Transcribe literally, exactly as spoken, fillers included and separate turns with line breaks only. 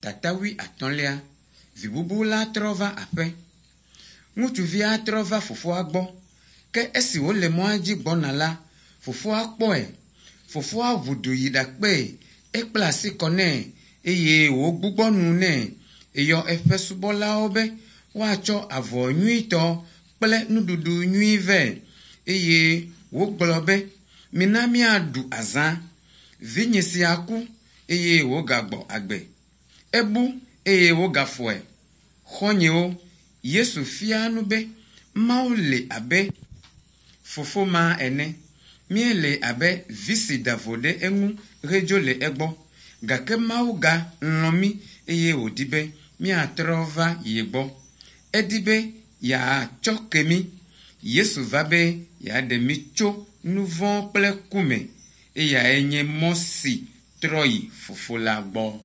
Tata wuiatɔ̃lia. Vi bubu la trɔ va aƒe. Ŋutsuvia trɔ va fofoa gbɔ. Ke esi wòle mɔa dzi gbɔna la, fofoa kpɔe. Fofoa ʋu du yi ɖakpee, ekpla asi kɔ nɛ eye wògbugbɔ nu nɛ. Eyɔ eƒe subɔlawo be woatsɔ avɔ nyuitɔ kple nuɖuɖu nyui vɛ eye wògblɔ be, “Mina míaɖu azã. Vinye sia ku eye wògagbɔ agbe. Ebu eye wogafɔe.” Xɔ̃nyewo, Yesu fia nu be Mawu le abe fofo ma ene. Míele abe vi si da vo ɖe eŋu hedzo le egbɔ. Gake Mawu galɔ̃ mí eye wòdi be míatrɔ va ye gbɔ. Edi be yeatsɔ ke mí. Yesu va be yeaɖe mí tso nu vɔ̃ kple ku me. Eyae nye mɔ si trɔ yi Fofo la gbɔ.